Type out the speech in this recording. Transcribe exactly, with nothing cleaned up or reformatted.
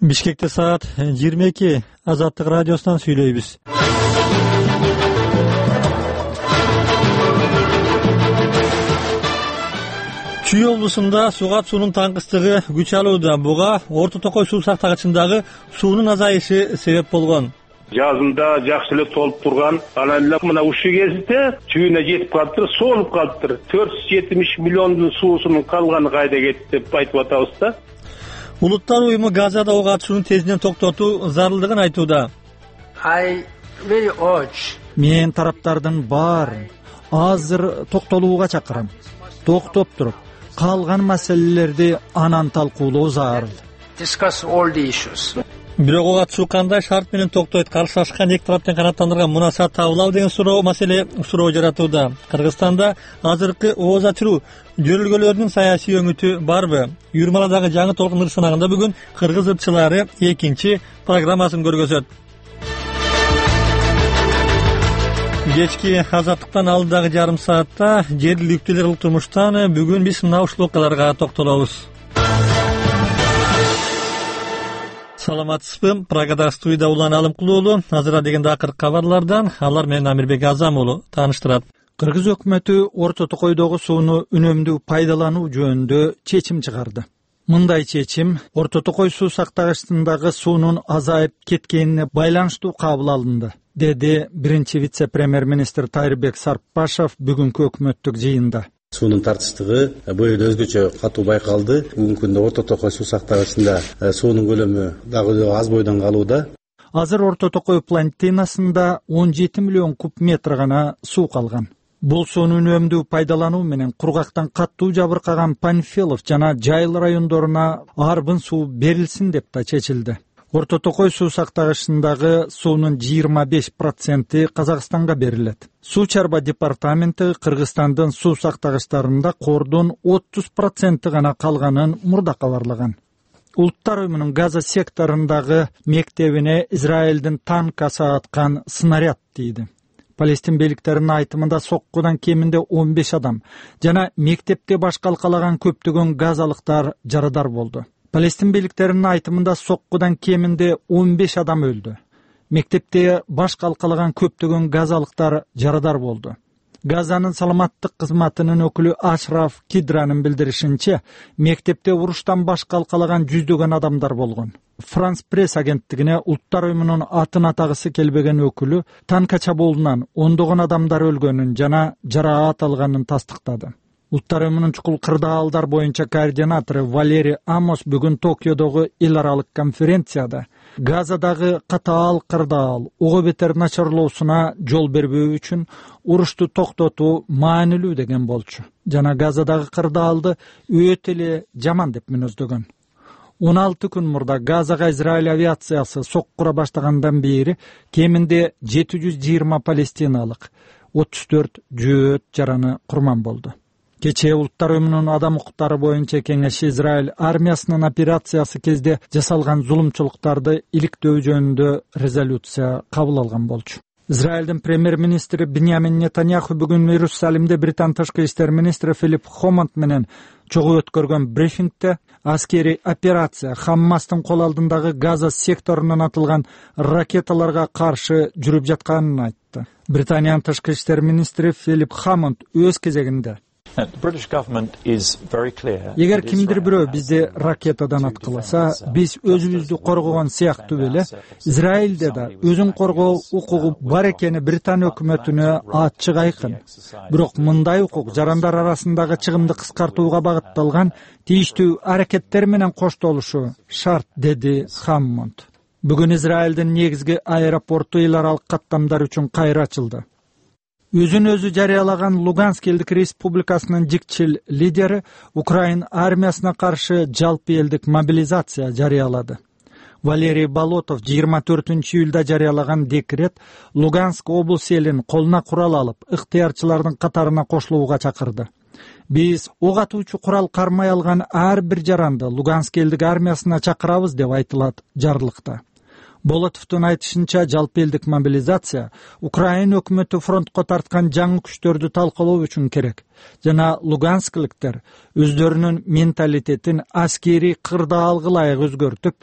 Бишкекте саат жыйырма эки. Азаттык радиосунан сүйлөйбүз. Чүй облусунда суга суунун таңкыстыгы күч алууда. Буга Орто Токой суу сактагычындагы суунун азайышы себеп болгон. Жазында жакшы эле толуп турган, анан эле мына ушул кезде чүйүнө жетип калыптыр, соолуп калыптыр. төрт жүз жетимиш миллиондун суусунун калганы кайда кетти деп айтып атабыз да. Улуттар уюму Газада ок атышууну тезинен токтотуу зарылдыгын айтууда. Мен тараптардын баарын азыр токтолууга чакырам. Токтоп туруп, калган маселелерди анан талкуулоо зарыл. Бирок ок атышуу кандай шарт менен токтойт? Каршылашкан эки тараптын канааттандырган мунасаат табылабы деген суроо маселе суроо жаратууда. Кыргызстанда азыркы ооз ачыруу жөрөлгөлөрүнүн саясий өңүтү барбы? Юрмаладагы жаңы толкун сынагында бүгүн кыргыз ырчылары экинчи программасын көргөзөт. Кечки азаттыктан алдыдагы жарым саатта жергиликтүүлөр кылык турмуштан бүгүн биз мына ушул окуяларга токтолобуз. Саламатсызбы? Прагада студияда Улан Алымкулуулу. Азыр дегенде акыркы кабарлардан алар менен Амирбек Азам уулу тааныштырат. Кыргыз өкмөтү Орто Токойдогу сууну үнөмдүү пайдалануу жөнүндө чечим чыгарды. Мындай чечим Орто Токой суу сактагычындагы суунун азайып кеткенине байланыштуу кабыл алынды, деди биринчи вице-премьер-министр Тайырбек Сарпашев бүгүнкү өкмөттүк жыйында. Суунун тартыштыгы бул жерде өзгөчө катуу байкалды. Бүгүнкү күндө Орто Токой суу сактагычында суунун көлөмү дагы аз бойдон калууда. Азыр Орто Токой плантинасында он жети миллион куб метр гана суу калган. Бул сууну үнөмдүү пайдалануу менен кургактан каттуу жабыркаган Панфилов жана Жайыл райондоруна арбын суу берилсин деп да чечилди. Орто Токой суу сактагычындагы суунун жыйырма беш проценти Казакстанга берилет. Суу чарба департаменти Кыргызстандын суу сактагычтарында кордун отуз проценти гана калганын мурда кабарлаган. Улуттар уюмунун Газа секторундагы мектебине Израилдин танкасы аткан снаряд тийди. Палестин бийликтеринин айтымында соккудан кеминде он беш адам жана мектепте баш калкалаган көптөгөн газалыктар жарадар болду. Палестин бийликтеринин айтымында соккудан кеминде он беш адам өлдү. Мектепте баш калкалаган көптөгөн газалыктар жарадар болду. Газанын саламаттык кызматынын өкүлү Ашраф Кидранын билдиришинче, мектепте уруштан баш калкалаган жүздөгөн адамдар болгон. Франс пресс агенттигине улуттар уюмунун атын атагысы келбеген өкүлү танка чабуулунан ондогон адамдар өлгөнүн жана жараат алганын тастыктады. Улуттар уюмунун чукул кырдаалдар боюнча координатору Валерий Амос бүгүн Токиодогу эл аралык конференцияда Газадагы катаал кырдаал ого бетер начарлоосуна жол бербөө үчүн урушту токтотуу маанилүү деген болчу. Жана Газадагы кырдаалды өтө эле жаман деп мүнөздөгөн. он алты күн мурда Газага Израиль авиациясы соккура баштагандан бери кеминде жети жүз жыйырма палестиналык, отуз төрт жөөт жараны курман болду. Кечээ Улуттар уюмунун адам укуктары боюнча кеңеши Израиль армиясынын операциясы кезде жасалган зулумчулуктарды иликтөө жөнүндө резолюция кабыл алган болчу. Израилдин премьер-министри Биньямин Нетаньяху бүгүн Иерусалимде Британ тышкы иштер министри Филипп Хомонт менен чогуу өткөргөн брифингде аскерий операция Хаммастын кол алдындагы Газа секторунан атылган ракеталарга каршы жүрүп жатканын айтты. Британиянын тышкы иштер министри Филипп Хомонт өз кезегинде эгер кимдир бирөө бизди ракетадан аткыласа, биз өзүбүздү коргогон сыяктуу эле Израилде да өзүн коргоо укугу бар экени Британ өкмөтүнө ачык айкын. Бирок мындай укук жарандар арасындагы чыгымды кыскартууга багытталган тийиштүү аракеттер менен коштолушу шарт, деди Хаммонд. Бүгүн Израилдин негизги аэропорту эл аралык каттамдар үчүн кайра ачылды. Өзүн өзү жарыялаган Луганск элдик республикасынын жикчил лидери Украин армиясына каршы жалпы элдик мобилизация жарыялады. Валерий Болотов жыйырма төртүнчү июлда жарыялаган декрет Луганск облус элин колуна курал алып, ыктыярчылардын катарына кошулууга чакырды. Биз ок атуучу курал кармай алган ар бир жаранды Луганск элдик армиясына чакырабыз деп айтылат жарлыкта. Болотовдун айтышынча, жалпы элдик мобилизация Украин өкмөтү фронтко тарткан жаңы күчтөрдү талкалоо үчүн керек жана луганскликтер өздөрүнүн менталитетин аскерий кырдаалга ылайык өзгөртүп,